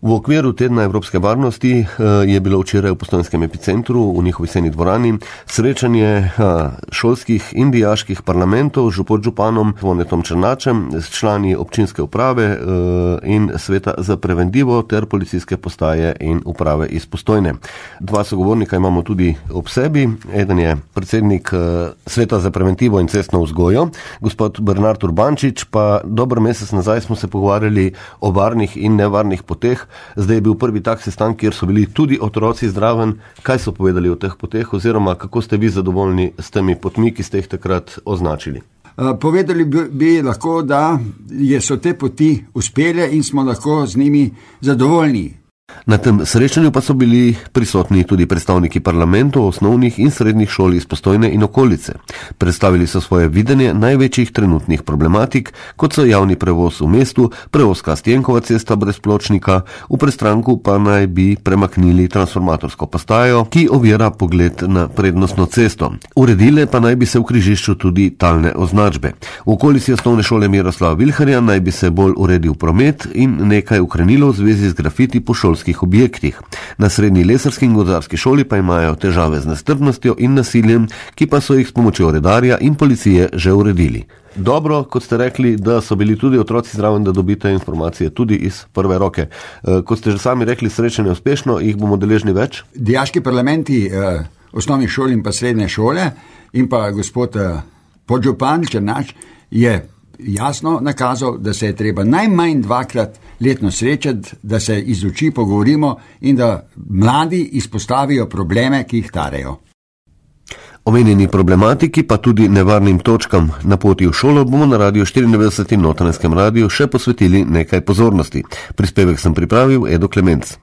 V okviru tedna Evropske varnosti je bilo včeraj v Postojnskem epicentru v njihovi sejni dvorani srečanje šolskih in dijaških parlamentov z podžupanom Zvonetom Černačem, s člani občinske uprave in sveta za preventivo ter policijske postaje in uprave iz Postojne. Dva sogovornika imamo tudi ob sebi. Eden je predsednik sveta za preventivo in cestno vzgojo, gospod Bernard Urbančič, pa dober mesec nazaj smo se pogovarjali o varnih in nevarnih poteh. Zdaj je bil prvi tak sestanek, kjer so bili tudi otroci zdraven. Kaj so povedali o teh poteh oziroma kako ste vi zadovoljni s temi potmi, ki ste jih takrat označili? Povedali bi lahko, da so te poti uspele in smo lahko z njimi zadovoljni. Na tem srečanju pa so bili prisotni tudi predstavniki parlamentov, osnovnih in srednjih šol iz Postojne in okolice. Predstavili so svoje videnje največjih trenutnih problematik, kot so javni prevoz v mestu, prevoz Stjenkova cesta brez pločnika, v Prestranku pa naj bi premaknili transformatorsko postajo, ki ovira pogled na prednostno cesto. Uredile pa naj bi se v križišču tudi talne označbe. V okolici osnovne šole Miroslava Vilharja naj bi se bolj uredil promet in nekaj ukrenilo v zvezi z grafiti po šolskih objektih. Na srednji lesarski in gozdarski šoli pa imajo težave z nestrpnostjo in nasiljem, ki pa so jih s pomočjo redarja in policije že uredili. Dobro, kot ste rekli, da so bili tudi otroci zraven, da dobite informacije tudi iz prve roke. Kot ste že sami rekli, srečanje uspešno, jih bomo deležni več? Dijaški parlamenti osnovnih šol in pa srednje šole in pa gospod podžupan Černač je jasno nakazal, da se je treba najmanj 2-krat letno srečati, da se iz oči pogovorimo in da mladi izpostavijo probleme, ki jih tarejo. Omenjeni problematiki pa tudi nevarnim točkam na poti v šolo bomo na Radiu 94 in Notranjskem radiju še posvetili nekaj pozornosti. Prispevek sem pripravil Edo Klemenc.